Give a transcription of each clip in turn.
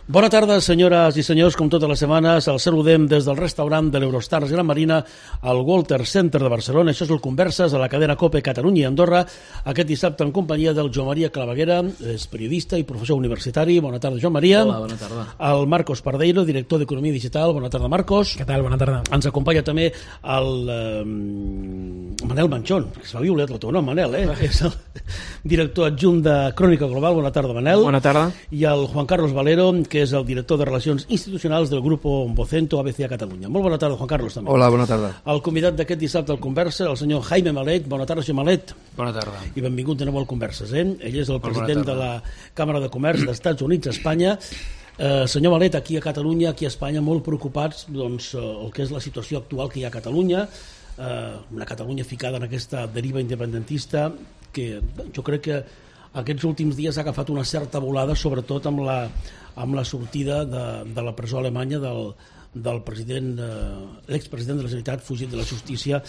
Bona tarda, senyores i senyors, com totes les setmanes, el saludem des del restaurant de l'Eurostars Gran Marina al Walter Center de Barcelona. Això és el Converses a la cadena COPE Catalunya i Andorra, aquest dissabte en companyia del Joan Maria Claveguera, és periodista i professor universitari. Bona tarda, Joan Maria. Hola, bona tarda. El Marcos Pardeiro, director d'Economia Digital. Bona tarda, Marcos. Què tal? Bona tarda. Ens acompanya també el Manel Manchón, que es va violar el teu nom, Manel, és el director adjunt de Crònica Global. Bona tarda, Manel. Bona tarda. I el Juan Carlos Valero, que és el director de Relacions Institucionals del Grupo Vocento ABC a Catalunya. Molt bona tarda, Juan Carlos, també. Hola, bona tarda. El convidat d'aquest dissabte al Conversa, el senyor Jaime Malet. Bona tarda, senyor Malet. Bona tarda. I benvingut de nou al Converses. Ell és el president de la Càmera de Comerç dels Estats Units a Espanya. Senyor Malet, aquí a Catalunya, aquí a Espanya, molt preocupats doncs, el que és la situació actual que hi ha a Catalunya, una Catalunya ficada en aquesta deriva independentista que jo crec que aquests últims dies ha agafat una certa volada, sobretot amb la sortida de la presó alemanya del president, l'expresident de la Generalitat, fugit de la justícia,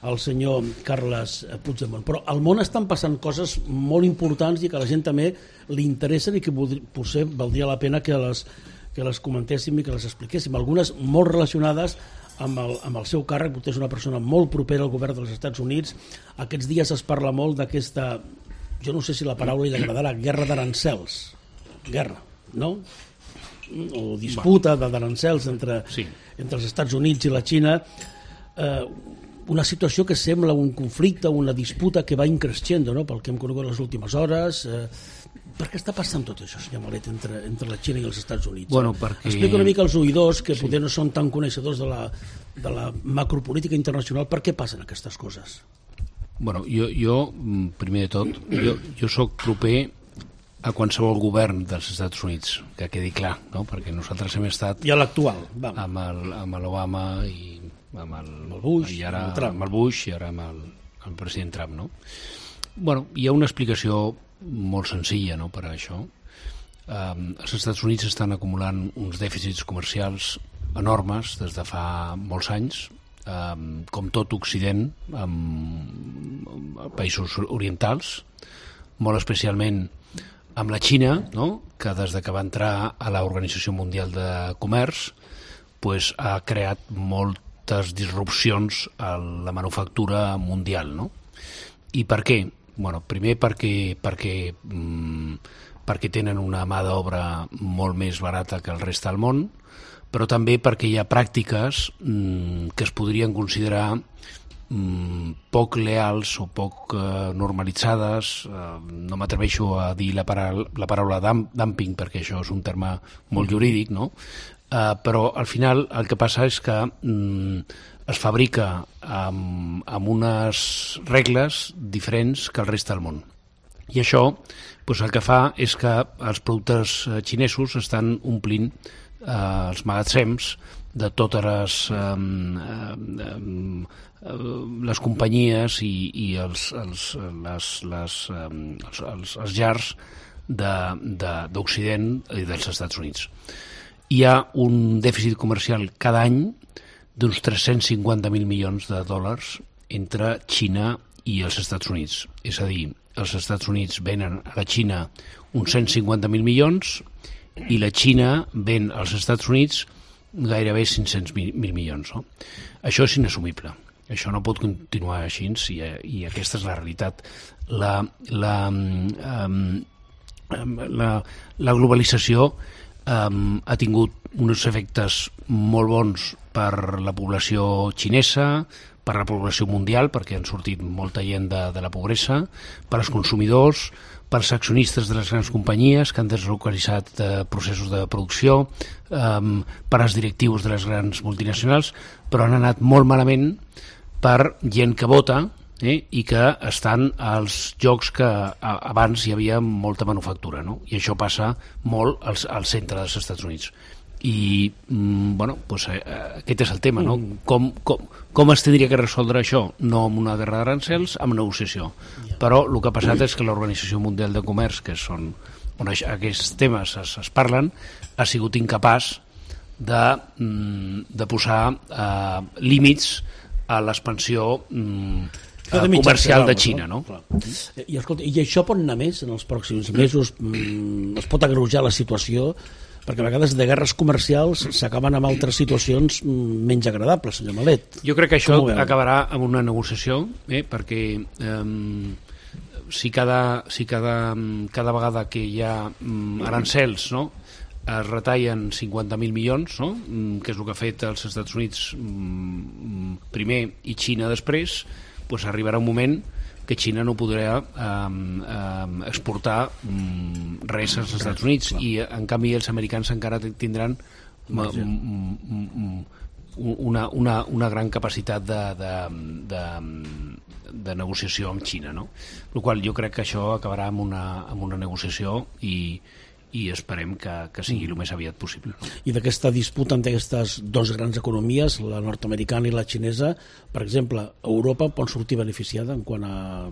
el senyor Carles Puigdemont. Però al món estan passant coses molt importants i que a la gent també li interessen i que potser valdria la pena que les comentéssim i que les expliquéssim. Algunes molt relacionades amb el seu càrrec. Vostè és una persona molt propera al govern dels Estats Units. Aquests dies es parla molt d'aquesta, jo no sé si la paraula li agradarà, guerra d'arancels. Guerra, no? O disputa d'arancels entre els Estats Units i la Xina. Una situació que sembla un conflicte, una disputa que va increixent, no? Pel que hem conegut les últimes hores. Per què està passant tot això, senyor Malet, entre la Xina i els Estats Units? Bueno, perquè... Explica una mica als oïdors que potser no són tan coneixedors de la macropolítica internacional. Per què passen aquestes coses? Bueno, jo primer de tot, jo soc proper a qualsevol govern dels Estats Units, que quedi clar, no? Perquè nosaltres hem estat... I a l'actual, amb l'Obama i amb el Bush, i ara amb el Bush i ara amb el president Trump, no? Bueno, hi ha una explicació molt senzilla, no, per a això. Els Estats Units estan acumulant uns dèficits comercials enormes des de fa molts anys, com tot Occident, amb països orientals, molt especialment amb la Xina, no?, que des de que va entrar a l'Organització Mundial de Comerç pues, ha creat moltes disrupcions a la manufactura mundial, no? I per què? Bueno, primer perquè tenen una mà d'obra molt més barata que el rest del món, però també perquè hi ha pràctiques que es podrien considerar poc leals o poc normalitzades. No m'atreveixo a dir la paraula dumping perquè això és un terme molt jurídic, no? Però al final el que passa és que es fabrica amb unes regles diferents que el rest del món. I això doncs, el que fa és que els productes xinesos estan omplint els magatzems de totes les companyies i els llars d'Occident i dels Estats Units. Hi ha un dèficit comercial cada any d'uns 350.000 milions de dòlars entre Xina i els Estats Units. És a dir, els Estats Units venen a la Xina uns 150.000 milions i la Xina ven als Estats Units gairebé 500.000 milions. No? Això és inassumible. Això no pot continuar així i aquesta és la realitat. La globalització ha tingut uns efectes molt bons per la població xinesa, per la població mundial, perquè han sortit molta gent de la pobresa, per als consumidors, per als accionistes de les grans companyies que han deslocalitzat processos de producció, per als directius de les grans multinacionals, però han anat molt malament per gent que vota i que estan als llocs que abans hi havia molta manufactura, no? I això passa molt al centre dels Estats Units. I bueno, doncs, aquest és el tema, no? Com es tindria que resoldre això? No amb una guerra d'arancels, amb negociació. Però el que ha passat és que l'Organització Mundial de Comerç, que són on aquests temes es parlen, ha sigut incapaç de posar límits a l'expansió comercial de Xina, no? I, escolta, i això pot anar més en els pròxims mesos? Es pot agreujar la situació? perquè a vegades de guerres comercials s'acaben amb altres situacions menys agradables, senyor Malet. Jo crec que això acabarà amb una negociació, perquè si cada vegada que hi ha arancels, no?, es retallen 50.000 milions, no?, que és el que ha fet els Estats Units primer i Xina després, doncs arribarà un moment que Xina no podrà exportar res als Estats Units i en canvi els americans encara tindran una gran capacitat de negociació amb Xina, no? El qual jo crec que això acabarà amb una negociació i esperem que sigui el més aviat possible. I d'aquesta disputa entre aquestes dues grans economies, la nord-americana i la xinesa, per exemple, Europa pot sortir beneficiada en quant a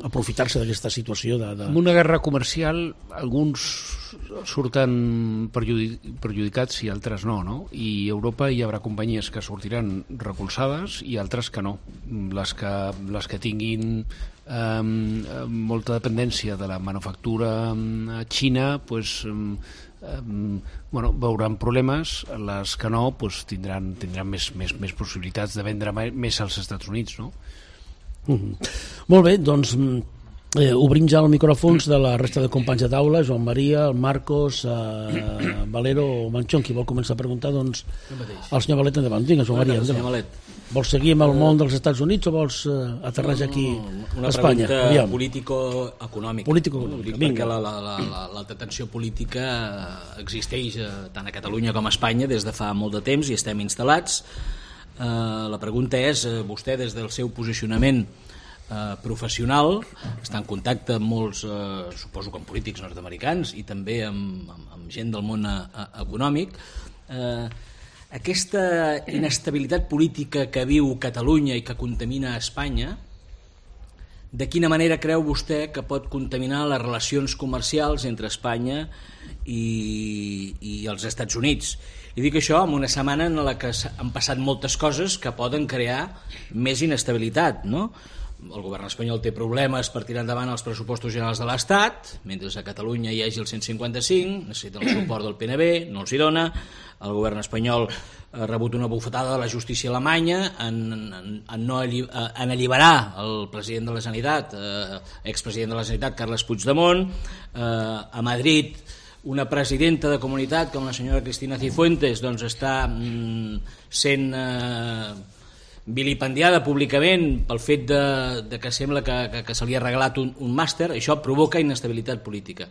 aprofitar-se d'aquesta situació En una guerra comercial alguns surten perjudicats i altres no? I a Europa hi haurà companyies que sortiran recolzades i altres que no. Les que tinguin molta dependència de la manufactura a Xina veuran problemes, les que no tindran més possibilitats de vendre més als Estats Units, no? Molt bé, doncs obrim ja els micròfons de la resta de companys de taula, Joan Maria, el Marcos, Valero o Manchón. Qui vol començar a preguntar, doncs el senyor Valet endavant. Vinga, Joan Maria, endavant. Vols seguir amb el món dels Estats Units o vols aterrar aquí a Espanya? Una pregunta político-econòmica. Perquè l'alta tensió política existeix tant a Catalunya com a Espanya des de fa molt de temps i estem instal·lats. La pregunta és, vostè des del seu posicionament professional està en contacte amb molts, suposo que amb polítics nord-americans i també amb gent del món econòmic, aquesta inestabilitat política que viu Catalunya i que contamina Espanya, de quina manera creu vostè que pot contaminar les relacions comercials entre Espanya i els Estats Units? I dic això en una setmana en la que han passat moltes coses que poden crear més inestabilitat, no? El govern espanyol té problemes per tirar endavant els pressupostos generals de l'Estat, mentre a Catalunya hi hagi el 155, necessita el suport del PNB, no els hi dona. El govern espanyol ha rebut una bufetada de la justícia alemanya en alliberar el president de la Generalitat, expresident de la Generalitat, Carles Puigdemont. A Madrid, una presidenta de comunitat com la senyora Cristina Cifuentes doncs està sent vilipendiada públicament pel fet de que sembla que se li ha regalat un màster. Això provoca inestabilitat política.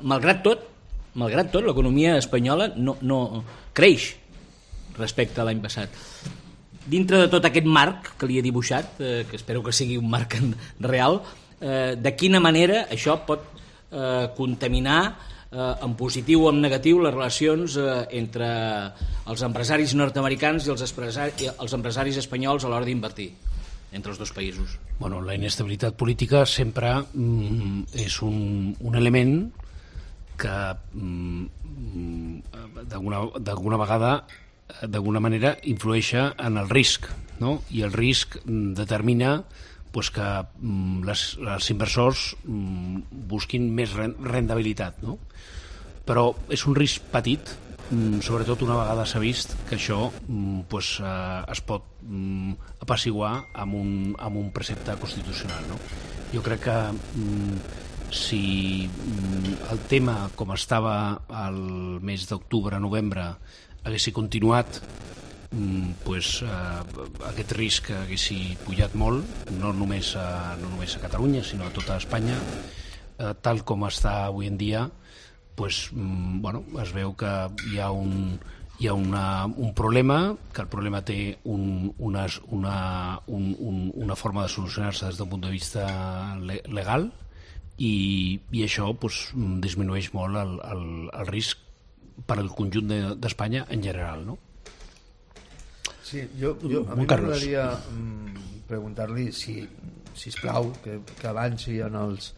Malgrat tot, l'economia espanyola no creix respecte a l'any passat. Dintre de tot aquest marc que li he dibuixat, que espero que sigui un marc real, de quina manera això pot contaminar en positiu o en negatiu les relacions entre els empresaris nord-americans i els empresaris espanyols a l'hora d'invertir entre els dos països? Bueno, la inestabilitat política sempre és un element que d'alguna vegada, d'alguna manera, influeix en el risc, no? I el risc determina que els inversors busquin més rendibilitat, no? Però és un risc petit, sobretot una vegada s'ha vist que això es pot apaciguar amb un precepte constitucional, no? Jo crec que si el tema com estava el mes d'octubre-novembre hagués continuat, aquest risc haguessi pujat molt, no només a Catalunya sinó a tota Espanya. Tal com està avui en dia, es veu que hi ha un problema, que el problema té una forma de solucionar-se des d'un punt de vista legal i això disminueix molt el risc per al conjunt d'Espanya en general, no? Sí, a mi m'agradaria preguntar-li si plau que avanci en els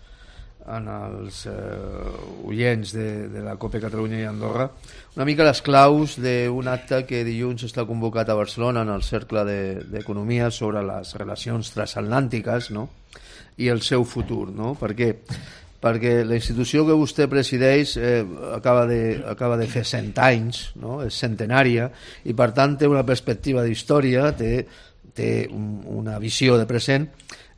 oients de la COPE Catalunya i Andorra una mica les claus d'un acte que dilluns està convocat a Barcelona en el Cercle d'Economia sobre les relacions transatlàntiques, no? I el seu futur, no? Perquè perquè la institució que vostè presideix acaba de fer 100 anys, no? És centenària, i per tant té una perspectiva d'història, té una visió de present,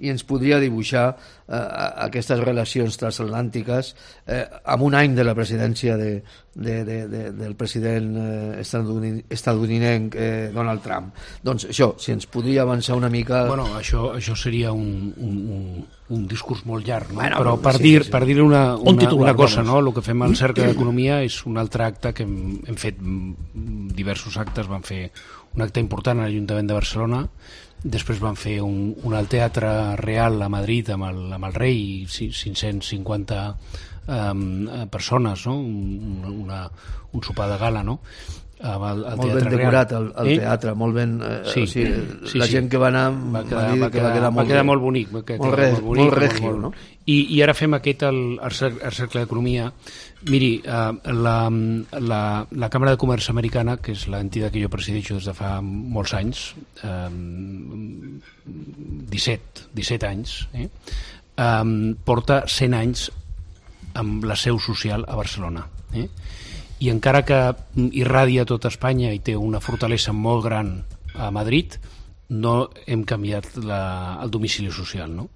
i ens podria dibuixar aquestes relacions transatlàntiques amb un any de la presidència del president estatunidenc Donald Trump. Doncs això, si ens podria avançar una mica... Bueno, això seria un discurs molt llarg, no? Bueno, però per dir una cosa, no? El que fem al Cercle d'Economia és un altre acte que hem fet diversos actes. Vam fer un acte important a l'Ajuntament de Barcelona, després van fer un al Teatre Real a Madrid amb el rei i 550 persones, no? Un sopar de gala, no? Molt ben decorat el teatre, molt ben... La gent que va anar va quedar molt bonic. Molt regio, no? I ara fem aquest al Cercle d'Economia. Miri, la Càmera de Comerç Americana, que és l'entitat que jo presideixo des de fa molts anys, 17 anys, porta 100 anys amb la seu social a Barcelona. I encara que irradia tota Espanya i té una fortalesa molt gran a Madrid, no hem canviat el domicili social, no?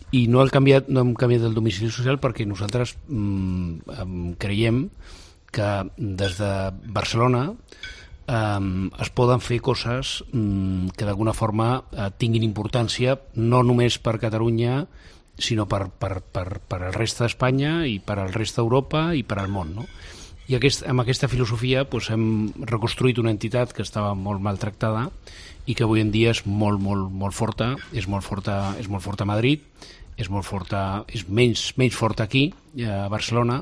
I no hem canviat el domicili social perquè nosaltres creiem que des de Barcelona es poden fer coses que d'alguna forma tinguin importància no només per Catalunya, sinó per el reste d'Espanya i per al reste d'Europa i per al món, no? I amb aquesta filosofia hem reconstruït una entitat que estava molt maltractada i que avui en dia és molt forta, és molt forta a Madrid, és menys forta aquí, a Barcelona.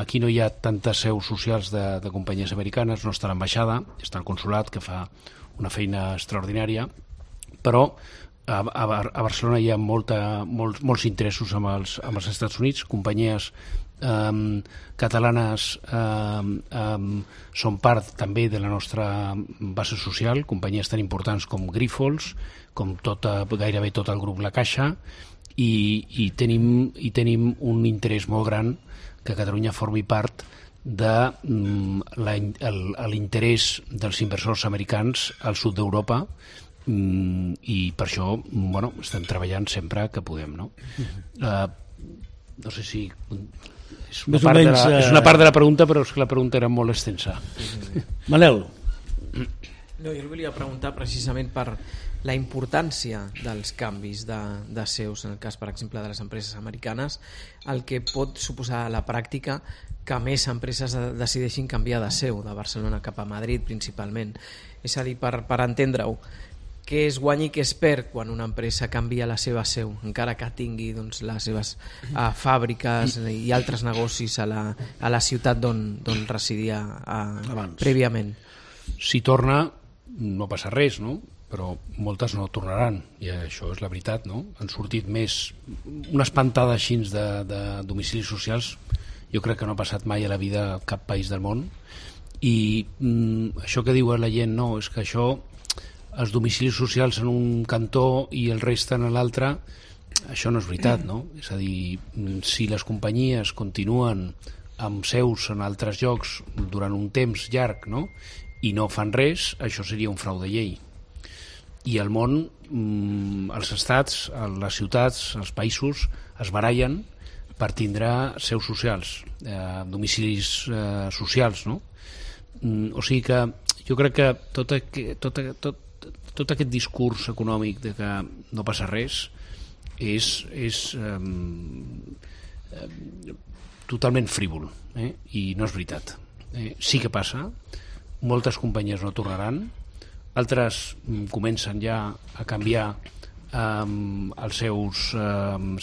Aquí no hi ha tantes seus socials de companyies americanes, no està l'ambaixada, està el consolat, que fa una feina extraordinària, però a Barcelona hi ha molts interessos amb els Estats Units. Companyies catalanes són part també de la nostra base social, companyies tan importants com Grifols, com gairebé tot el grup La Caixa, i tenim un interès molt gran que Catalunya formi part de l'interès dels inversors americans al sud d'Europa, i per això estem treballant sempre que podem, no? No sé si és una part de la pregunta, però és que la pregunta era molt extensa. Manel. No, jo volia preguntar precisament per la importància dels canvis de seus, en el cas, per exemple, de les empreses americanes, el que pot suposar a la pràctica que més empreses decideixin canviar de seu, de Barcelona cap a Madrid principalment. És a dir, per entendre-ho, què es guanya i què es perd quan una empresa canvia la seva seu, encara que tingui les seves fàbriques i altres negocis a la ciutat d'on residia prèviament? Si torna, no passa res, no? Però moltes no tornaran, i això és la veritat, no? Han sortit una espantada així de domicilis socials, jo crec que no ha passat mai a la vida a cap país del món, i això que diu la gent, no, és que això, els domicilis socials en un cantó i el reste en l'altre, això no és veritat, no? És a dir, si les companyies continuen amb seus en altres llocs durant un temps llarg, no?, i no fan res, això seria un frau de llei. I al món, els estats, les ciutats, els països es barallen per tindre seus socials, domicilis socials, no? O sigui que jo crec que tot aquest discurs econòmic de que no passa res és totalment frívol, i no és veritat. Sí que passa, moltes companyies no tornaran, altres comencen ja a canviar els seus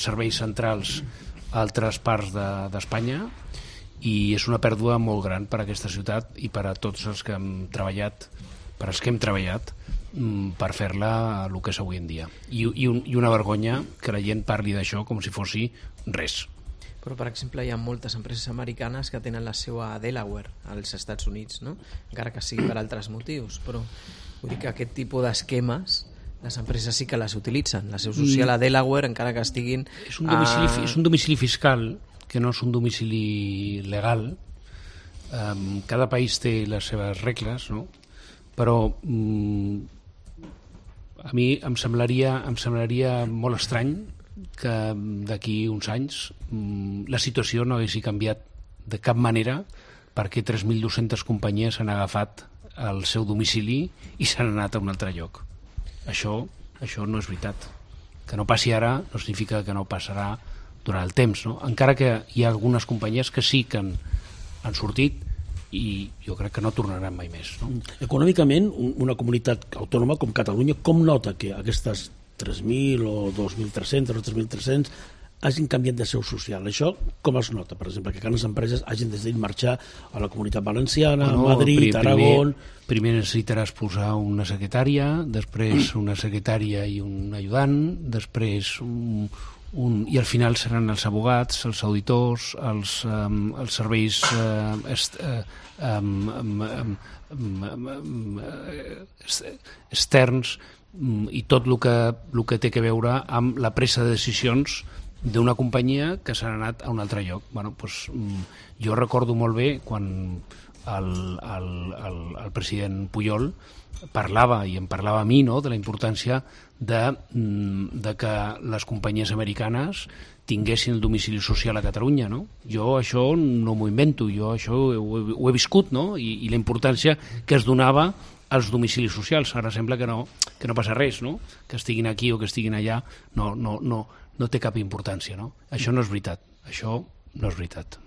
serveis centrals a altres parts d'Espanya, i és una pèrdua molt gran per a aquesta ciutat i per a tots els que hem treballat, per fer-la el que és avui en dia. I una vergonya que la gent parli d'això com si fos res. Però, per exemple, hi ha moltes empreses americanes que tenen la seu a Delaware, als Estats Units, no? Encara que sigui per altres motius, però vull dir que aquest tipus d'esquemes les empreses sí que les utilitzen. La seu social a Delaware, encara que estiguin... És un domicili fiscal, que no és un domicili legal. Cada país té les seves regles, no? Però a mi em semblaria molt estrany que d'aquí uns anys la situació no hagués canviat de cap manera, perquè 3.200 companyies han agafat el seu domicili i s'han anat a un altre lloc. Això no és veritat. Que no passi ara no significa que no passarà durant el temps, no? Encara que hi ha algunes companyies que sí que han sortit i jo crec que no tornaran mai més, no? Econòmicament, una comunitat autònoma com Catalunya, com nota que aquestes 3.000 o 2.300 o 3.300 hagin canviat de seu social? Això com es nota, per exemple, que les empreses hagin decidit marxar a la Comunitat Valenciana, a Madrid, Aragón... Primer necessitaràs posar una secretària, després una secretària i un ajudant, després i al final seran els abogats, els auditors, els serveis externs i tot el que té a veure amb la presa de decisions d'una companyia que s'ha anat a un altre lloc. Bueno, doncs, jo recordo molt bé quan el president Pujol parlava, i em parlava a mi, no?, de la importància de que les companyies americanes tinguessin el domicili social a Catalunya, no? Jo això no m'ho invento, jo això ho he viscut, no?, i la importància que es donava als domicilis socials. Ara sembla que no passa res, no?, que estiguin aquí o que estiguin allà, no té cap importància, no? Això no és veritat, això no és veritat.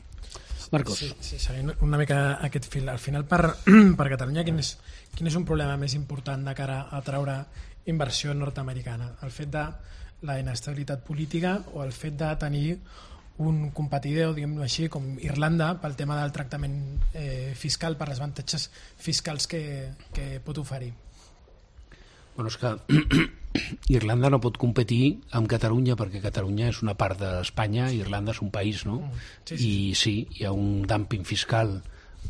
Marcos. Sí, seguint una mica aquest fil. Al final, per Catalunya, quin és un problema més important de cara a treure inversió nord-americana? El fet de la inestabilitat política o el fet de tenir un competidor, diguem-ho així, com Irlanda, pel tema del tractament fiscal, per les avantatges fiscals que pot oferir? Bueno, és que Irlanda no pot competir amb Catalunya perquè Catalunya és una part d'Espanya i Irlanda és un país, no? Sí. I sí, hi ha un dumping fiscal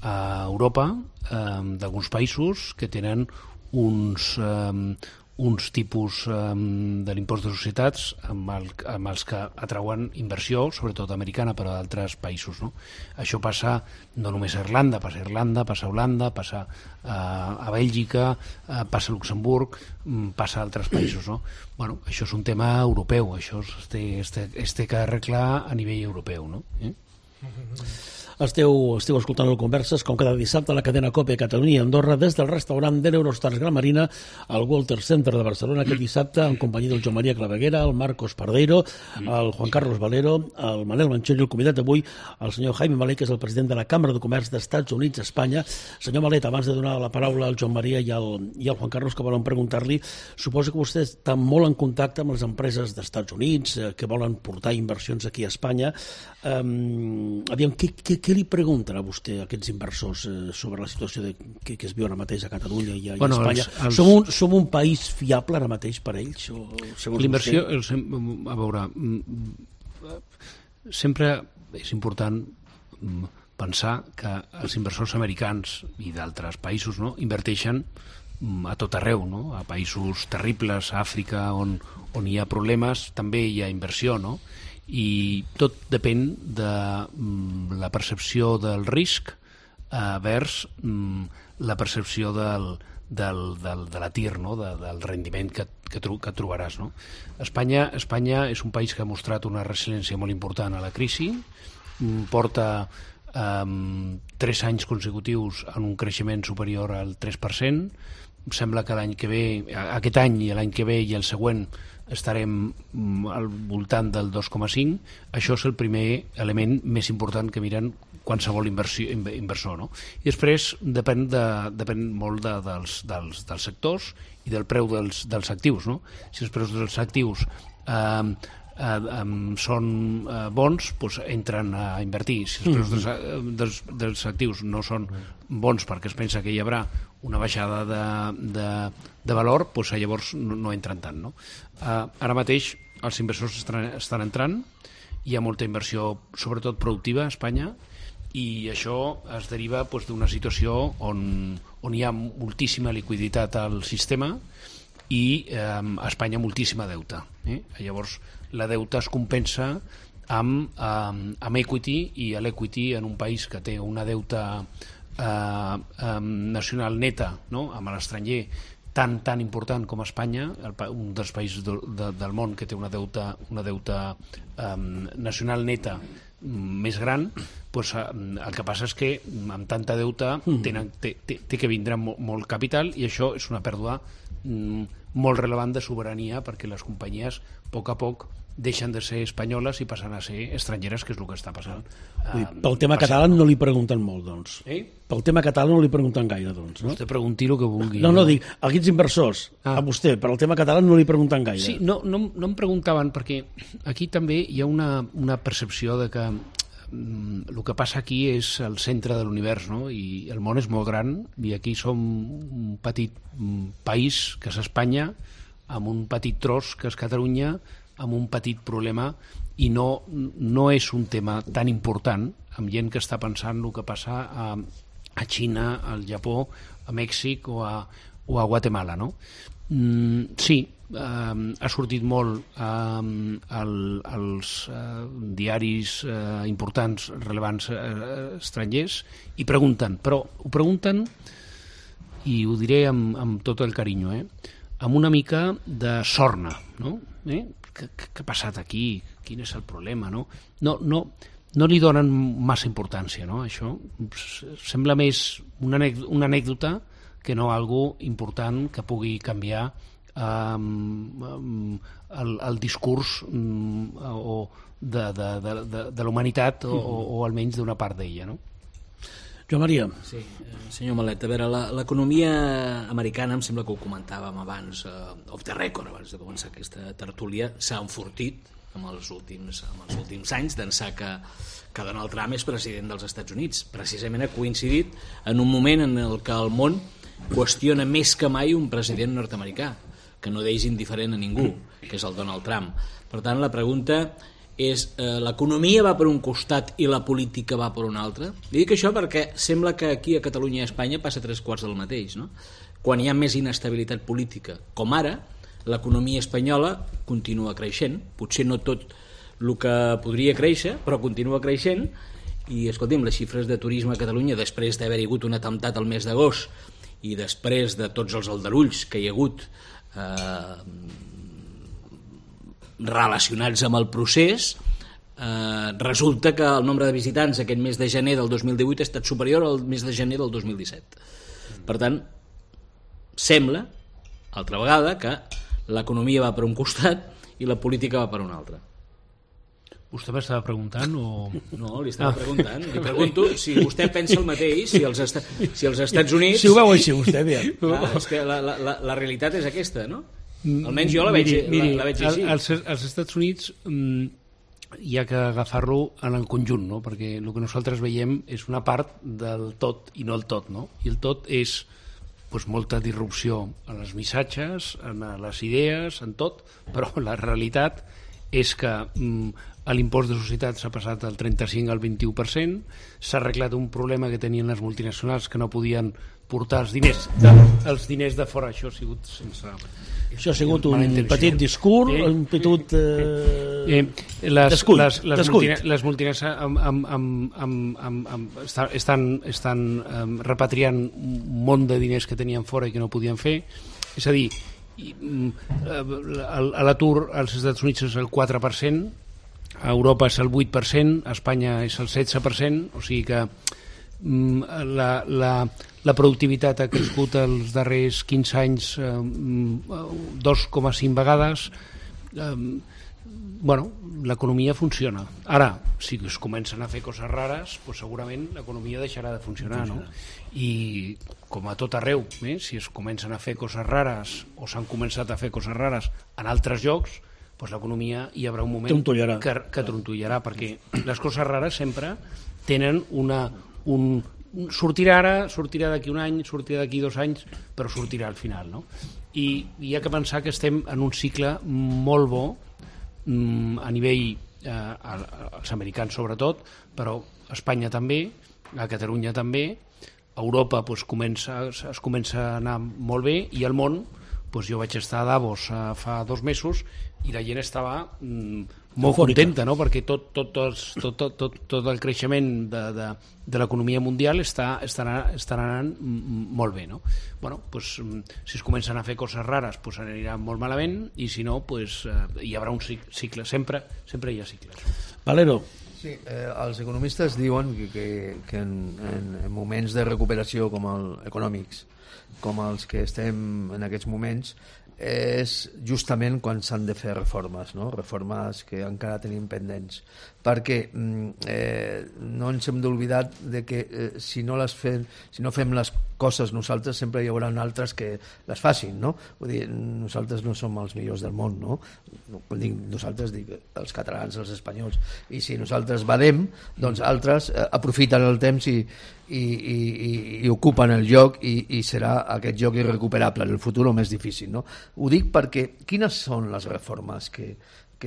a Europa d'alguns països que tenen uns tipus de l'impost de societats amb els que atrauen inversió, sobretot americana, però d'altres països, no? Això passa no només a Irlanda, passa a Holanda, passa a Bèlgica, passa a Luxemburg, passa a altres països, no? Bueno, això és un tema europeu, això es té que arreglar a nivell europeu, no? Esteu escoltant el Converses, com cada dissabte, a la cadena COPE Catalunya i Andorra, des del restaurant de l'Eurostars Gran Marina al Walter Center de Barcelona, aquest dissabte, en companyia del Joan Maria Claveguera, el Marcos Pardeiro, el Juan Carlos Valero, el Manel Manchell i el convidat d'avui, el senyor Jaime Malet, que és el president de la Càmera de Comerç d'Estats Units, Espanya. Senyor Malet, abans de donar la paraula al Joan Maria i al Juan Carlos, que volen preguntar-li, suposo que vostè està molt en contacte amb les empreses d'Estats Units que volen portar inversions aquí a Espanya. Aviam, què li pregunten a vostè aquests inversors sobre la situació que es viu ara mateix a Catalunya i a Espanya? Som un país fiable ara mateix per a ells? L'inversió, a veure, sempre és important pensar que els inversors americans i d'altres països, no, inverteixen a tot arreu, no? A països terribles, a Àfrica, on hi ha problemes, també hi ha inversió, no? I tot depèn de la percepció del risc vers la percepció de la TIR, no? Del rendiment que trobaràs, no? Espanya és un país que ha mostrat una resiliència molt important a la crisi, porta 3 anys consecutius en un creixement superior al 3%. Sembla que l'any que ve, aquest any i l'any que ve i el següent, estarem al voltant del 2,5. Això és el primer element més important que miren qualsevol inversor, no? I després depèn molt dels sectors i del preu dels actius, no? Si els preus dels actius són bons, doncs entren a invertir. Si els preus dels actius no són bons perquè es pensa que hi haurà una baixada de valor, doncs llavors no entren tant, no? Ara mateix els inversors estan entrant, hi ha molta inversió, sobretot productiva a Espanya, i això es deriva d'una situació on hi ha moltíssima liquiditat al sistema i Espanya moltíssima deute. Llavors, la deuta es compensa amb equity, i l'equity en un país que té una deuta nacional neta, no?, amb l'estranger tan important com Espanya, un dels països del món que té una deuta nacional neta més gran, doncs el que passa és que amb tanta deuta té que vindre molt capital, i això és una pèrdua molt relevant de sobirania, perquè les companyies a poc deixen de ser espanyoles i passen a ser estrangeres, que és el que està passant. Pel tema català no li pregunten molt, doncs. Pel tema català no li pregunten gaire, doncs. Vostè pregunti el que vulgui. No, dic, a aquests inversors, a vostè, per al tema català no li pregunten gaire. Sí, no em preguntaven, perquè aquí també hi ha una percepció de que el que passa aquí és el centre de l'univers, no? I el món és molt gran, i aquí som un petit país, que és Espanya, amb un petit tros, que és Catalunya, amb un petit problema, i no és un tema tan important, amb gent que està pensant el que passa a Xina, al Japó, a Mèxic o a Guatemala, no? Sí, ha sortit molt als diaris importants, rellevants, estrangers, i pregunten, però ho pregunten, i ho diré amb tot el carinyo, amb una mica de sorna, no? Què ha passat aquí? Quin és el problema? No li donen massa importància, no? Això sembla més una anècdota que no algo important que pugui canviar el discurs de la humanitat, o almenys d'una part d'ella, no? Joan Maria. Sí, senyor Malet, a veure, l'economia americana, em sembla que ho comentàvem abans, off the record, abans de començar aquesta tertúlia, s'ha enfortit en els últims anys, d'ençà que Donald Trump és president dels Estats Units. Precisament ha coincidit en un moment en el que el món qüestiona més que mai un president nord-americà, que no deixa indiferent a ningú, que és el Donald Trump. Per tant, la pregunta és, l'economia va per un costat i la política va per un altre? Dic això perquè sembla que aquí a Catalunya i a Espanya passa 3/4 del mateix, no? Quan hi ha més inestabilitat política, com ara, l'economia espanyola continua creixent, potser no tot el que podria créixer, però continua creixent, i escolti'm, les xifres de turisme a Catalunya, després d'haver hagut un atemptat al mes d'agost i després de tots els aldarulls que hi ha hagut relacionats amb el procés, resulta que el nombre de visitants aquest mes de gener del 2018 ha estat superior al mes de gener del 2017. Per tant, sembla, altra vegada, que l'economia va per un costat i la política va per un altre. Vostè m'estava preguntant o...? No, li estava preguntant. Li pregunto si vostè pensa el mateix, si els Estats Units... Si ho veu així, vostè, bé. És que la realitat és aquesta, no? Almenys jo la veig així. Als Estats Units hi ha que agafar-lo en el conjunt, no? Perquè el que nosaltres veiem és una part del tot i no el tot, no? I el tot és molta disrupció en els missatges, en les idees, en tot, però la realitat és que l'impost de societats ha passat del 35 al 21%, s'ha arreglat un problema que tenien les multinacionals, que no podien portar els diners de fora. Això ha sigut sense... Això ha sigut un petit discurs, un petit les multinacionals estan repatriant un munt de diners que tenien fora i que no podien fer. És a dir, l'atur als Estats Units és el 4%, a Europa és el 8%, a Espanya és el 16%, o sigui que la productivitat ha crescut els darrers 15 anys 2,5 vegades. L'economia funciona. Ara, si es comencen a fer coses rares, segurament l'economia deixarà de funcionar, no? I com a tot arreu, si es comencen a fer coses rares o s'han començat a fer coses rares en altres llocs, l'economia hi haurà un moment que trontollarà, perquè les coses rares sempre tenen sortirà ara, sortirà d'aquí un any, sortirà d'aquí 2 anys, però sortirà al final, no? I hi ha que pensar que estem en un cicle molt bo a nivell els americans sobretot, però a Espanya també, a Catalunya també, a Europa es comença a anar molt bé, i al món Doncs jo vaig estar a Davos fa 2 mesos i la gent estava molt contenta, no? Perquè tot el creixement de l'economia mundial està anant molt bé, no? Bueno, pues, si es comencen a fer coses rares pues anirà molt malament i si no pues, hi haurà un cicle, sempre hi ha cicles. Valero. Sí, els economistes diuen que en moments de recuperació econòmics com els que estem en aquests moments és justament quan s'han de fer reformes, no? Reformes que encara tenim pendents, perquè no ens hem d'oblidar de que si no fem les coses nosaltres sempre hi haurà altres que les facin, no? Vull dir, nosaltres no som els millors del món, no? Quan dic nosaltres dic els catalans, els espanyols, i si nosaltres badem, doncs altres aprofiten el temps i ocupen el lloc i serà aquest lloc irrecuperable en el futur o més difícil, no? Ho dic perquè quines són les reformes que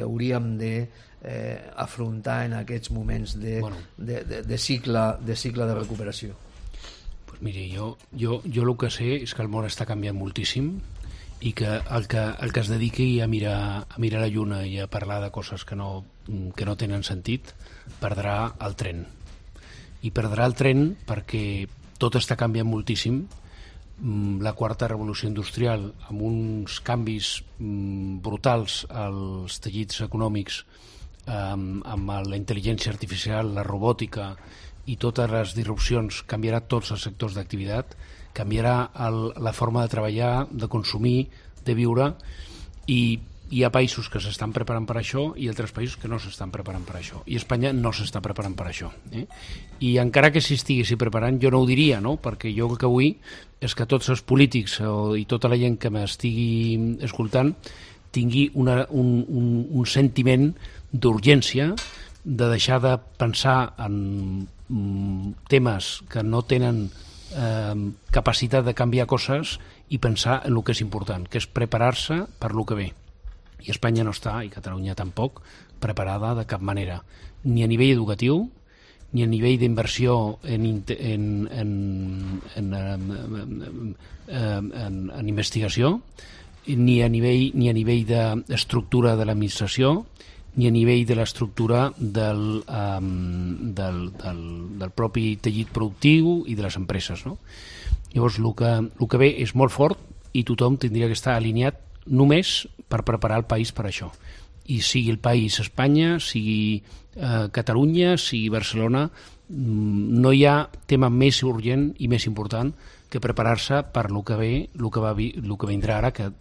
hauríem d'afrontar en aquests moments de cicle de recuperació? Pues miri, jo el que sé és que el món està canviant moltíssim i que el que es dediqui a mirar la lluna i a parlar de coses que no tenen sentit perdrà el tren. I perdrà el tren perquè tot està canviant moltíssim. La quarta revolució industrial amb uns canvis brutals als teixits econòmics, amb la intel·ligència artificial, la robòtica i totes les disrupcions, canviarà tots els sectors d'activitat, canviarà la forma de treballar, de consumir, de viure, i hi ha països que s'estan preparant per això i altres països que no s'estan preparant per això, i Espanya no s'està preparant per això, i encara que s'hi estiguessi preparant jo no ho diria, no? Perquè jo el que vull és que tots els polítics i tota la gent que m'estigui escoltant tingui un sentiment d'urgència, de deixar de pensar en temes que no tenen capacitat de canviar coses i pensar en el que és important, que és preparar-se per el que ve. I Espanya no està, i Catalunya tampoc, preparada de cap manera, ni a nivell educatiu, ni a nivell d'inversió en investigació, ni a nivell d'estructura de l'administració, ni a nivell de l'estructura del propi teixit productiu i de les empreses, no? Llavors, el que ve és molt fort i tothom tindria que estar alineat només per preparar el país per això. I sigui el país Espanya, sigui Catalunya, sigui Barcelona, no hi ha tema més urgent i més important que preparar-se per el que ve, el que vindrà ara, que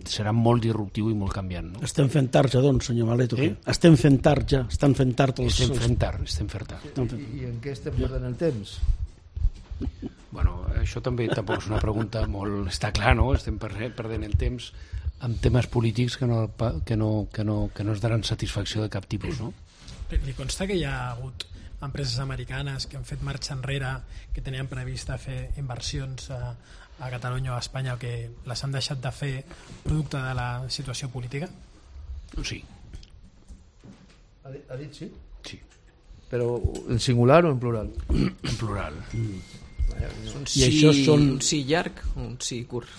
serà molt disruptiu i molt canviant, no? Estem fent tard ja, doncs, senyor Malet, o què? Estem fent tard ja, estan fent tard els... Estem fent tard. I en què estem perdent el temps? Bueno, això també tampoc és una pregunta molt... Està clar, no? Estem perdent el temps amb temes polítics que no es daran satisfacció de cap tipus, no? Li consta que hi ha hagut empreses americanes que han fet marxa enrere, que tenien previst fer inversions a Catalunya o a Espanya, o que les han deixat de fer producte de la situació política? Sí. Ha dit sí? Sí. Però en singular o en plural? En plural. Un I això són... un sí llarg o un sí curt?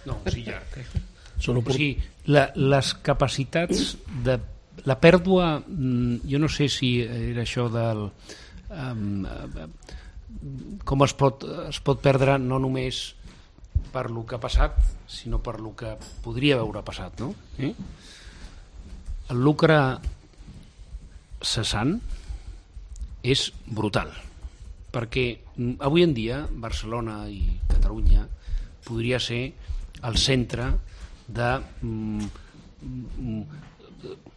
No, un sí llarg. Són O sigui, les capacitats de... La pèrdua, jo no sé si era això del... com es pot perdre no només per lo que ha passat, sinó per lo que podria haver passat, no? El lucre cessant és brutal, perquè avui en dia Barcelona i Catalunya podria ser el centre de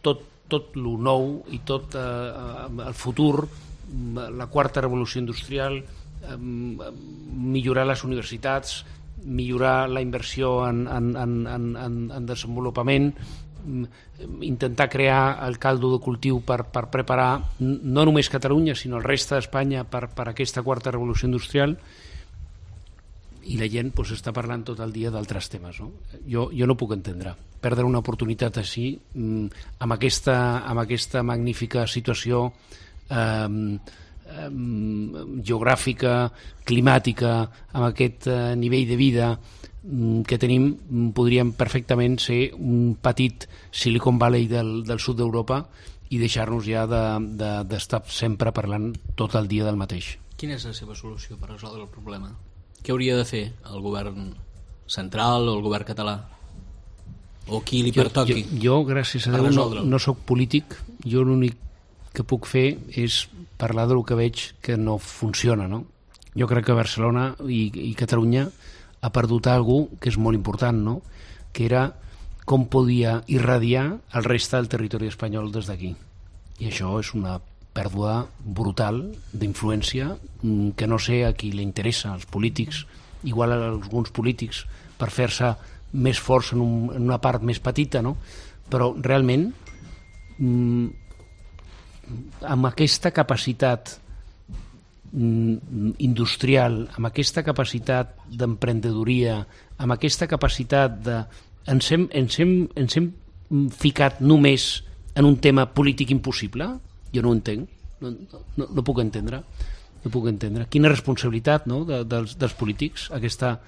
tot lo nou i tot el futur, la quarta revolució industrial, millorar les universitats, millorar la inversió en desenvolupament, intentar crear el caldo de cultiu per preparar no només Catalunya sinó el reste d'Espanya per aquesta quarta revolució industrial, i la gent està parlant tot el dia d'altres temes, no? Jo no puc entendre perdre una oportunitat així amb aquesta magnífica situació geogràfica, climàtica, amb aquest nivell de vida, que tenim podríem perfectament ser un petit Silicon Valley del sud d'Europa i deixar-nos ja d'estar sempre parlant tot el dia del mateix. Quina és la seva solució per resoldre el problema? Què hauria de fer el govern central o el govern català? O qui li pertoqui? Jo gràcies a Déu, no soc polític. Jo l'únic que puc fer és parlar del que veig que no funciona, no? Jo crec que Barcelona i Catalunya ha perdut alguna cosa que és molt important, no? Que era com podia irradiar el reste del territori espanyol des d'aquí. I això és una pèrdua brutal d'influència que no sé a qui li interessa, als polítics, igual a alguns polítics, per fer-se més forts en una part més petita, no? Però realment amb aquesta capacitat industrial, amb aquesta capacitat d'emprenedoria, amb aquesta capacitat de... Ens hem ficat només en un tema polític impossible? Jo no ho entenc, no puc entendre. No puc entendre. Quina responsabilitat, no?, dels polítics, aquesta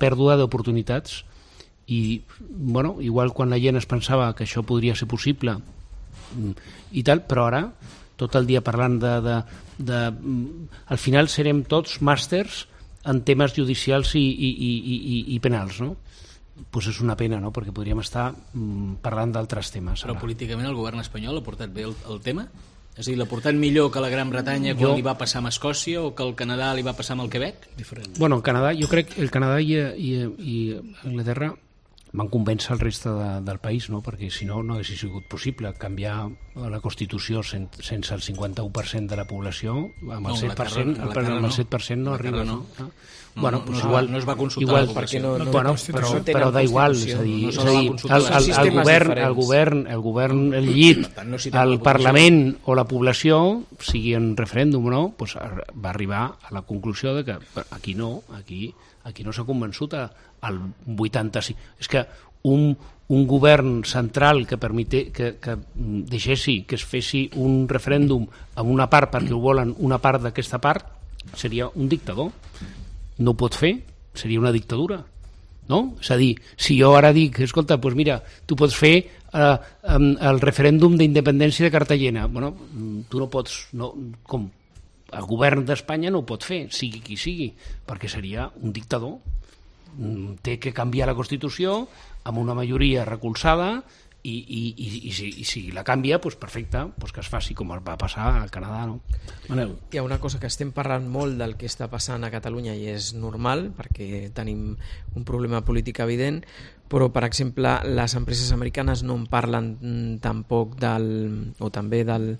pèrdua d'oportunitats. I, bueno, igual quan la gent es pensava que això podria ser possible i tal, però ara tot el dia parlant al final serem tots màsters en temes judicials i penals, no? Pues és una pena, no?, perquè podríem estar parlant d'altres temes. Però políticament el govern espanyol ha portat bé el tema? És a dir, l'ha portat millor que la Gran Bretanya quan li va passar amb Escòcia o que el Canadà li va passar amb el Quebec? Diferent. Bueno, el Canadà, jo crec que el Canadà i Anglaterra van convèncer el reste del país, no? Perquè si no, no hauria sigut possible canviar la Constitució sense el 51% de la població, amb el 7%, amb el 7% no arriba. No. Bueno, pues igual, no es va consultar igual, la població. Però da igual, és a dir, el govern, el llit, el Parlament o la població, sigui en referèndum o no, pues va arribar a la conclusió de que aquí no s'ha convençut al 85%. És que un govern central que deixessi que es fessi un referèndum amb una part perquè ho volen una part d'aquesta part seria un dictador. No ho pot fer, seria una dictadura, no? És a dir, si jo ara dic, escolta, doncs mira, tu pots fer el referèndum d'independència de Cartagena, bueno, tu no pots, com el govern d'Espanya no ho pot fer, sigui qui sigui, perquè seria un dictador. Té que canviar la Constitució amb una majoria recolzada i si la canvia, doncs perfecte, doncs que es faci com va passar al Canadà, no? Manel. Hi ha una cosa que estem parlant molt del que està passant a Catalunya i és normal perquè tenim un problema polític evident, però per exemple les empreses americanes no en parlen tampoc també del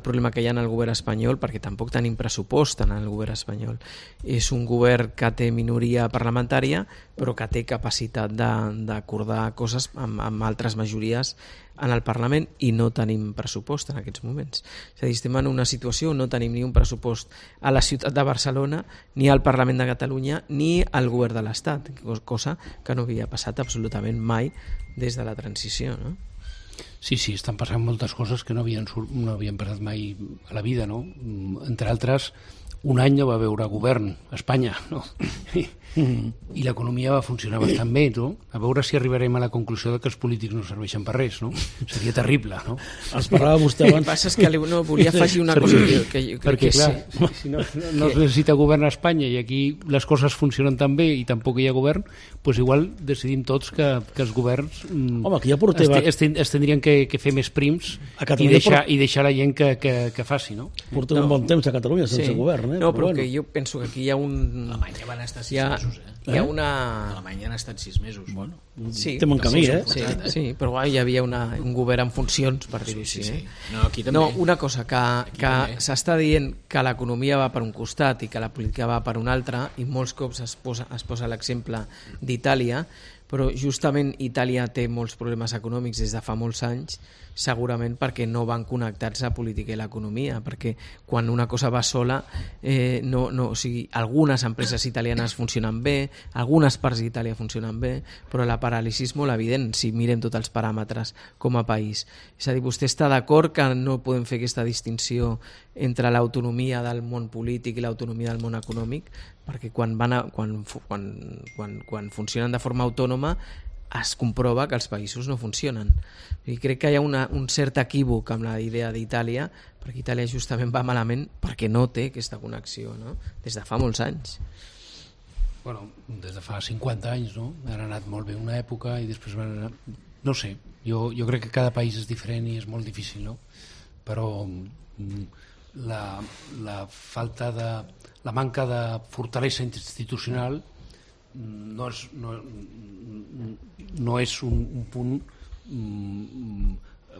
problema que hi ha en el govern espanyol, perquè tampoc tenim pressupost en el govern espanyol. És un govern que té minoria parlamentària però que té capacitat d'acordar coses amb altres majories en el Parlament i no tenim pressupost en aquests moments. És a dir, estem en una situació on no tenim ni un pressupost a la ciutat de Barcelona, ni al Parlament de Catalunya, ni al govern de l'Estat, cosa que no havia passat absolutament mai des de la transició, no? Sí, estan passant moltes coses que no havien passat mai a la vida, no? Entre altres, un any no va veure govern a Espanya, no? I l'economia va funcionar bastant bé, no? A veure si arribarem a la conclusió de que els polítics no serveixen per res, no? Seria terrible, no? Els parlava vostè abans. El que passa és que volia afegir una cosa que jo crec perquè, que clar, si no es necessita govern a Espanya i aquí les coses funcionen tan bé i tampoc hi ha govern, doncs igual decidim tots que els governs que ja portem es tindrien que fer més prims i deixar la gent que faci, no? Portem un bon temps a Catalunya sense govern, No, però que jo penso que aquí hi ha un... Alemanya van estar 6 mesos, Hi ha una... Alemanya han estat 6 mesos. Bueno, sí, estem en camí, Sí, però hi havia un govern en funcions, per dir-ho així. Sí. No, aquí també. No, una cosa, que s'està dient que l'economia va per un costat i que la política va per un altre, i molts cops es posa l'exemple d'Itàlia, però justament Itàlia té molts problemes econòmics des de fa molts anys, segurament perquè no van connectats a política i l'economia, perquè quan una cosa va sola, o sigui, algunes empreses italianes funcionen bé, algunes parts d'Itàlia funcionen bé, però la paràlisi és molt evident si mirem tots els paràmetres com a país. És a dir, vostè està d'acord que no podem fer aquesta distinció entre l'autonomia del món polític i l'autonomia del món econòmic? perquè quan funcionen de forma autònoma es comprova que els països no funcionen. I crec que hi ha un cert equívoc amb la idea d'Itàlia, perquè Itàlia justament va malament perquè no té aquesta connexió, no? Des de fa molts anys. Bueno, des de fa 50 anys, no? Han anat molt bé una època i després van anar... No sé, jo crec que cada país és diferent i és molt difícil, no? Però la falta de... la manca de fortalesa institucional no és un punt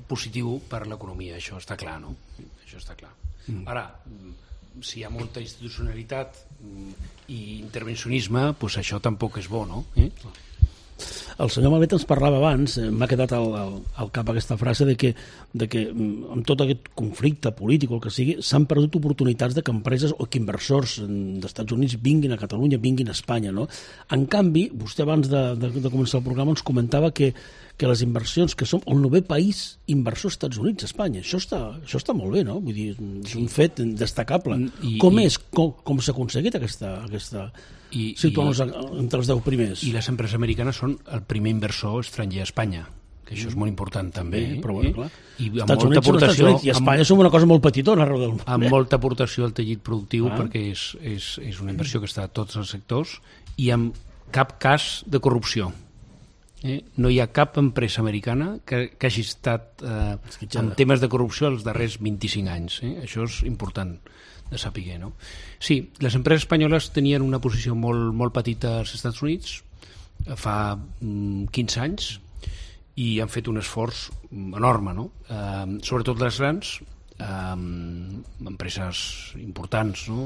positiu per l'economia, això està clar, no? Això està clar. Ara, si hi ha molta institucionalitat i intervencionisme, doncs això tampoc és bo, no? El senyor Malet ens parlava abans, m'ha quedat al cap aquesta frase de que amb tot aquest conflicte polític o el que sigui, s'han perdut oportunitats de que empreses o que inversors d'Estats Units vinguin a Catalunya, vinguin a Espanya, no? En canvi, vostè abans de començar el programa ens comentava que les inversions, que som el 9è país inversor als Estats Units, Espanya, això està molt bé, no? Vull dir, és un fet destacable. Com s'ha aconseguit aquesta situar-nos entre els 10 primers? I les empreses americanes són el primer inversor estranger a Espanya, que això és molt important també. Però bueno, clar. I amb molta aportació, i a Espanya som una cosa molt petitona arreu del món. Amb molta aportació al teixit productiu, perquè és una inversió que està a tots els sectors i amb cap cas de corrupció. No hi ha cap empresa americana que hagi estat en temes de corrupció els darrers 25 anys. Això és important de saber, no? Sí, les empreses espanyoles tenien una posició molt petita als Estats Units fa 15 anys i han fet un esforç enorme, no? Sobretot les grans empreses importants, no?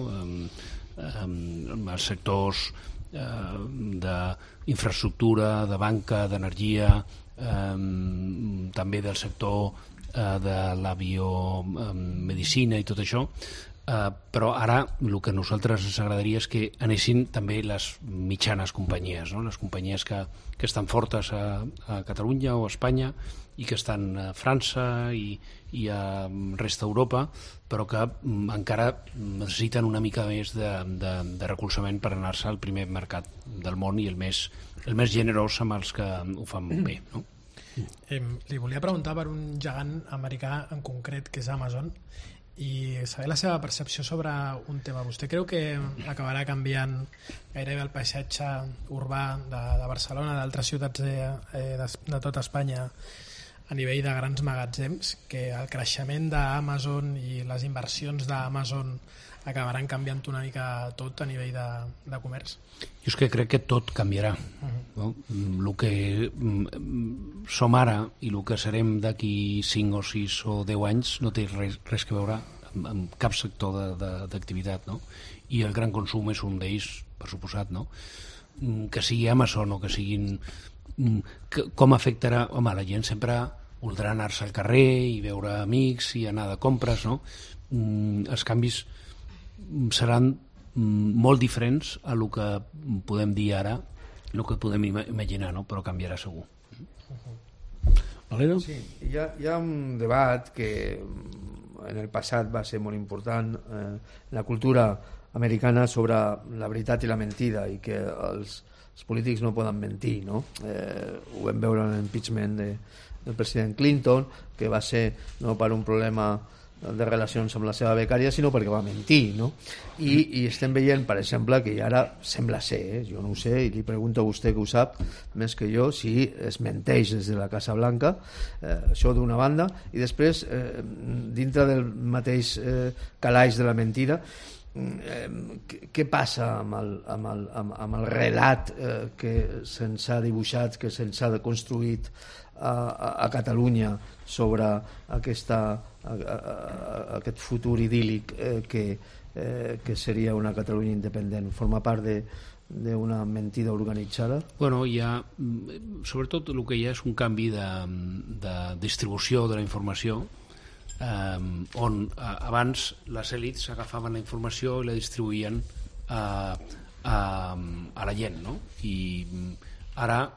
Els sectors d'infraestructura, de banca, d'energia, també del sector de l'aviomedicina i tot això, però ara el que a nosaltres ens agradaria és que anessin també les mitjanes companyies, no? Les companyies que estan fortes a Catalunya o a Espanya i que estan a França i a resta d'Europa, però que encara necessiten una mica més de recolzament per anar-se al primer mercat del món i el més generós amb els que ho fan bé, no? Li volia preguntar per un gegant americà en concret, que és Amazon, i saber la seva percepció sobre un tema. Vostè creu que acabarà canviant gairebé el paisatge urbà de Barcelona, d'altres ciutats de tot Espanya, a nivell de grans magatzems, que el creixement d'Amazon i les inversions d'Amazon acabaran canviant una mica tot a nivell de comerç? Jo és que crec que tot canviarà. No? El que som ara i el que serem d'aquí 5 o 6 o 10 anys no té res que veure amb cap sector d'activitat, no? I el gran consum és un d'ells, per suposat, no? Que sigui Amazon o que siguin... Com afectarà? Home, la gent sempre voldrà anar-se al carrer i veure amics i anar de compres, no? Els canvis seran molt diferents a el que podem dir ara, el que podem imaginar, no? Però canviarà segur. Valero? Sí, hi ha un debat que en el passat va ser molt important, la cultura americana sobre la veritat i la mentida, i que els polítics no poden mentir, no? Ho vam veure en l'impeachment del president Clinton, que va ser no per un problema de relacions amb la seva becària, sinó perquè va mentir, no? I estem veient, per exemple, que ara sembla ser, jo no ho sé, i li pregunto a vostè que ho sap més que jo, si es menteix des de la Casa Blanca, això d'una banda, i després dintre del mateix calaix de la mentida, què passa amb el relat que se'ns ha dibuixat, que se'ns ha construït a Catalunya sobre aquest futur idíl·lic que seria una Catalunya independent? Forma part d'una mentida organitzada? Bueno, sobretot el que hi ha és un canvi de distribució de la informació, on abans les èlits agafaven la informació i la distribuïen a la gent, no? I ara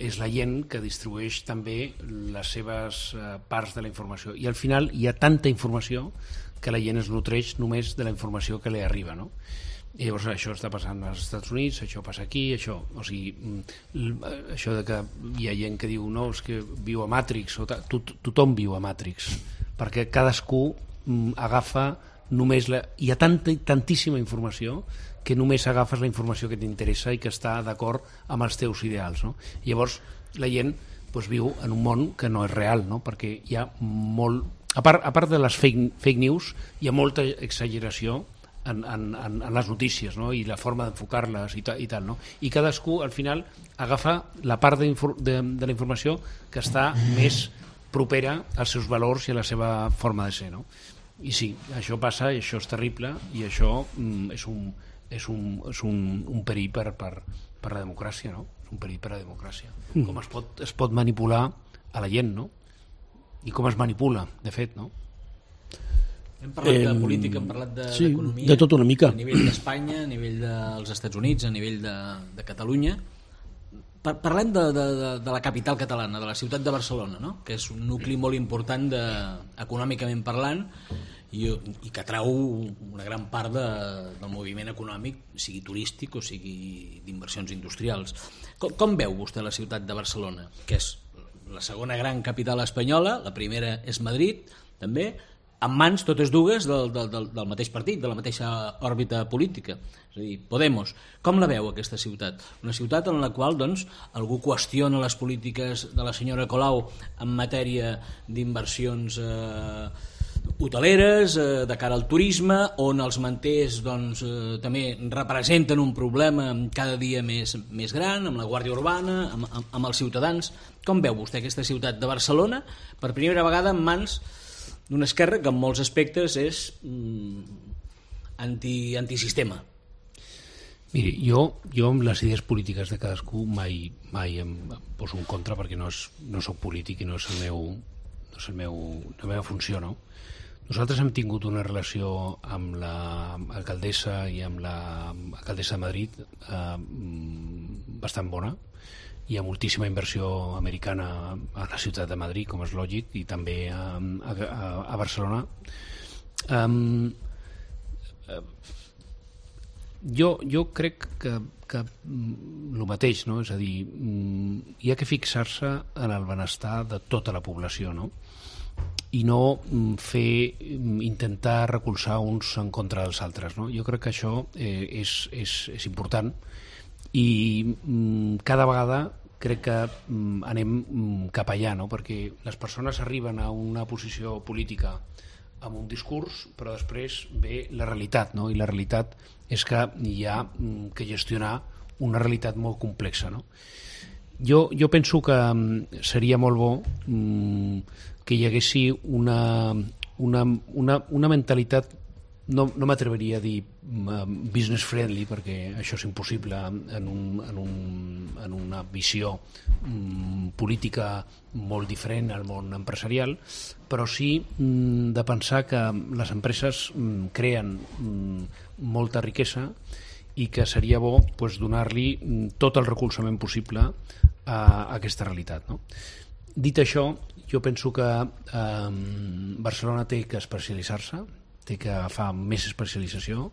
és la gent que distribueix també les seves parts de la informació, i al final hi ha tanta informació que la gent es nutreix només de la informació que li arriba, no? I llavors això està passant als Estats Units, això passa aquí, això, o sigui, això de que hi ha gent que diu no, és que viu a Matrix, tothom viu a Matrix, perquè cadascú agafa només hi ha tantíssima informació que només agafes la informació que t'interessa i que està d'acord amb els teus ideals, no? Llavors la gent viu en un món que no és real, no? Perquè hi ha molt... A part de les fake news, hi ha molta exageració en les notícies, no? I la forma d'enfocar-les i tal, no? I cadascú al final agafa la part de la informació que està més propera als seus valors i a la seva forma de ser, no? I sí, això passa i això és terrible i això és un perill per la democràcia, no? És un perill per la democràcia. Com es pot manipular a la gent, no? I com es manipula, de fet, no? Hem parlat de política, hem parlat d'economia, de tot una mica. A nivell d'Espanya, a nivell dels Estats Units, a nivell de Catalunya. Parlem de la capital catalana, de la ciutat de Barcelona, no? Que és un nucli molt important econòmicament parlant i que atrau una gran part del moviment econòmic, sigui turístic o sigui d'inversions industrials. Com veu vostè la ciutat de Barcelona, que és la segona gran capital espanyola, la primera és Madrid, també, en mans totes dues del mateix partit, de la mateixa òrbita política, és a dir, Podemos. Com la veu aquesta ciutat? Una ciutat en la qual doncs, algú qüestiona les polítiques de la senyora Colau en matèria d'inversions hoteleres, de cara al turisme, on els manters doncs, també representen un problema cada dia més gran, amb la Guàrdia Urbana, amb els ciutadans. Com veu vostè aquesta ciutat de Barcelona, per primera vegada en mans d'una esquerra que en molts aspectes és antisistema? Miri, jo amb les idees polítiques de cadascú mai em poso en contra perquè no soc polític i no és la meva funció, no? Nosaltres hem tingut una relació amb l'alcaldessa i amb l'alcaldessa de Madrid bastant bona. Hi ha moltíssima inversió americana a la ciutat de Madrid, com és lògic, i també a Barcelona. Jo crec que el mateix, no? És a dir, hi ha que fixar-se en el benestar de tota la població, no? I no intentar recolzar uns en contra dels altres, no? Jo crec que això és important i cada vegada crec que anem cap allà, no? Perquè les persones arriben a una posició política amb un discurs, però després ve la realitat, no? I la realitat és que hi ha que gestionar una realitat molt complexa, no? Jo penso que seria molt bo que hi haguessi una mentalitat, no m'atreveria a dir business friendly, perquè això és impossible en una visió política molt diferent al món empresarial, però sí de pensar que les empreses creen molta riquesa i que seria bo donar-li tot el recolzament possible a aquesta realitat, no? Dit això, jo penso que Barcelona té que especialitzar-se, té que agafar més especialització,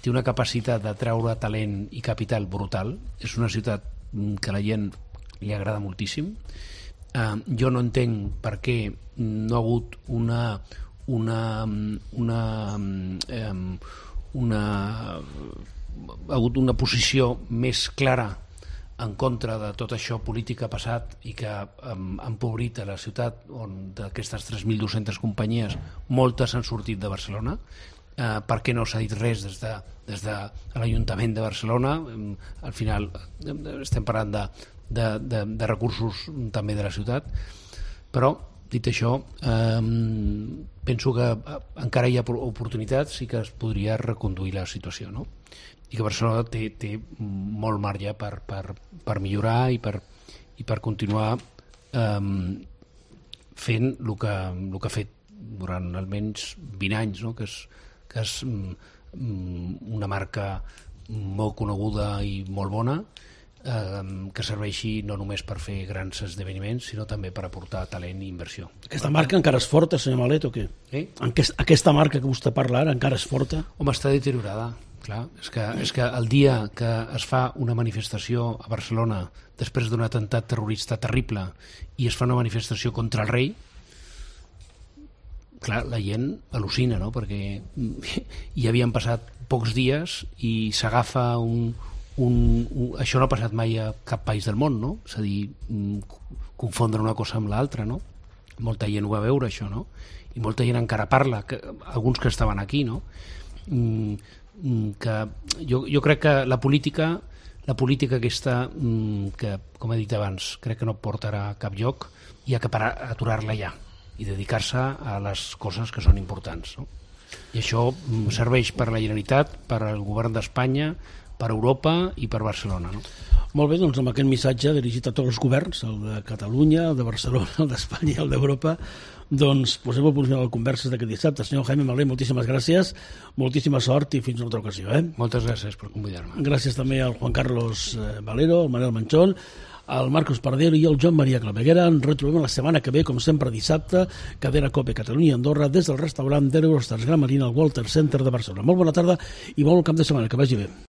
té una capacitat de treure talent i capital brutal, és una ciutat que a la gent li agrada moltíssim. Jo no entenc per què no ha hagut una posició més clara en contra de tot això polític que ha passat i que ha empobrit a la ciutat, on d'aquestes 3.200 companyies moltes han sortit de Barcelona. Per què no s'ha dit res des de l'Ajuntament de Barcelona? Al final estem parlant de recursos també de la ciutat, però dit això penso que encara hi ha oportunitats i que es podria reconduir la situació, no? I que Barcelona té molt marge per millorar i per continuar fent el que ha fet durant almenys 20 anys, no? Que és una marca molt coneguda i molt bona, que serveixi no només per fer grans esdeveniments, sinó també per aportar talent i inversió. Aquesta marca encara és forta, senyor Malet, o què? Aquesta marca que vostè parla ara encara és forta? Home, està deteriorada. Clar, és que el dia que es fa una manifestació a Barcelona després d'un atemptat terrorista terrible i es fa una manifestació contra el rei, clar, la gent al·lucina, no? Perquè hi havien passat pocs dies i s'agafa això no ha passat mai a cap país del món, no? És a dir, confondre una cosa amb l'altra, no? Molta gent ho va veure, això, no? I molta gent encara parla, alguns que estaven aquí, no? Que jo crec que la política aquesta, que, com he dit abans, crec que no portarà a cap lloc, hi ha que aturar-la ja i dedicar-se a les coses que són importants, no? I això serveix per la Generalitat, per al govern d'Espanya, per Europa i per Barcelona, no? Molt bé, doncs amb aquest missatge dirigit a tots els governs, el de Catalunya, el de Barcelona, el d'Espanya i el d'Europa, doncs posem el punt final de converses d'aquest dissabte. Senyor Jaime Malé, moltíssimes gràcies, moltíssima sort i fins una altra ocasió. Moltes gràcies per convidar-me. Gràcies també al Juan Carlos Valero, al Manel Manchón, al Marcos Pardero i al Joan Maria Claveguera. Ens retrobem la setmana que ve, com sempre dissabte, Cadena Cope Catalunya i Andorra, des del restaurant d'Eurostars Gran Marina al Walter Center de Barcelona. Molt bona tarda i bon cap de setmana, que vagi bé.